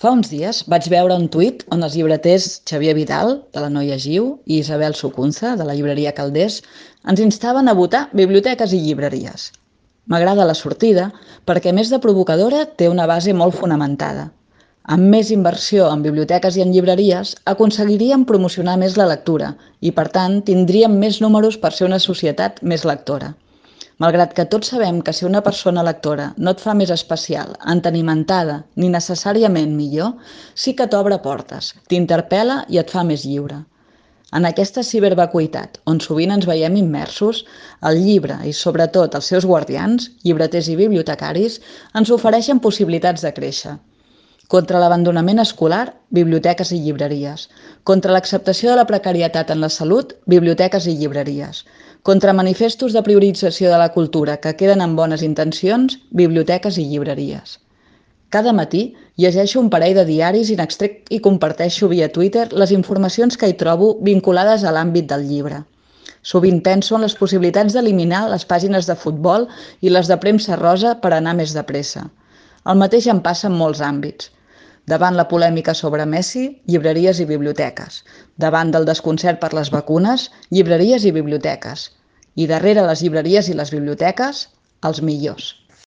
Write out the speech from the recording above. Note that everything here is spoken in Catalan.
Fa uns dies vaig veure un tuit on els llibreters Xavier Vidal, de la Noia Giu, i Isabel Sucunza, de la llibreria Calders, ens instaven a votar biblioteques i llibreries. M'agrada la sortida perquè, a més de provocadora, té una base molt fonamentada. Amb més inversió en biblioteques i en llibreries, aconseguiríem promocionar més la lectura i, per tant, tindríem més números per ser una societat més lectora. Malgrat que tots sabem que ser una persona lectora no et fa més especial, entenimentada, ni necessàriament millor, sí que t'obre portes, t'interpel·la i et fa més lliure. En aquesta cibervacuïtat, on sovint ens veiem immersos, el llibre i, sobretot, els seus guardians, llibreters i bibliotecaris, ens ofereixen possibilitats de créixer. Contra l'abandonament escolar, biblioteques i llibreries. Contra l'acceptació de la precarietat en la salut, biblioteques i llibreries. Contra manifestos de priorització de la cultura que queden amb bones intencions, biblioteques i llibreries. Cada matí llegeixo un parell de diaris i n'extrec i comparteixo via Twitter les informacions que hi trobo vinculades a l'àmbit del llibre. Sovint penso en les possibilitats d'eliminar les pàgines de futbol i les de premsa rosa per anar més de pressa. El mateix em passa en molts àmbits. Davant la polèmica sobre Messi, llibreries i biblioteques. Davant del desconcert per les vacunes, llibreries i biblioteques. I darrere les llibreries i les biblioteques, els millors.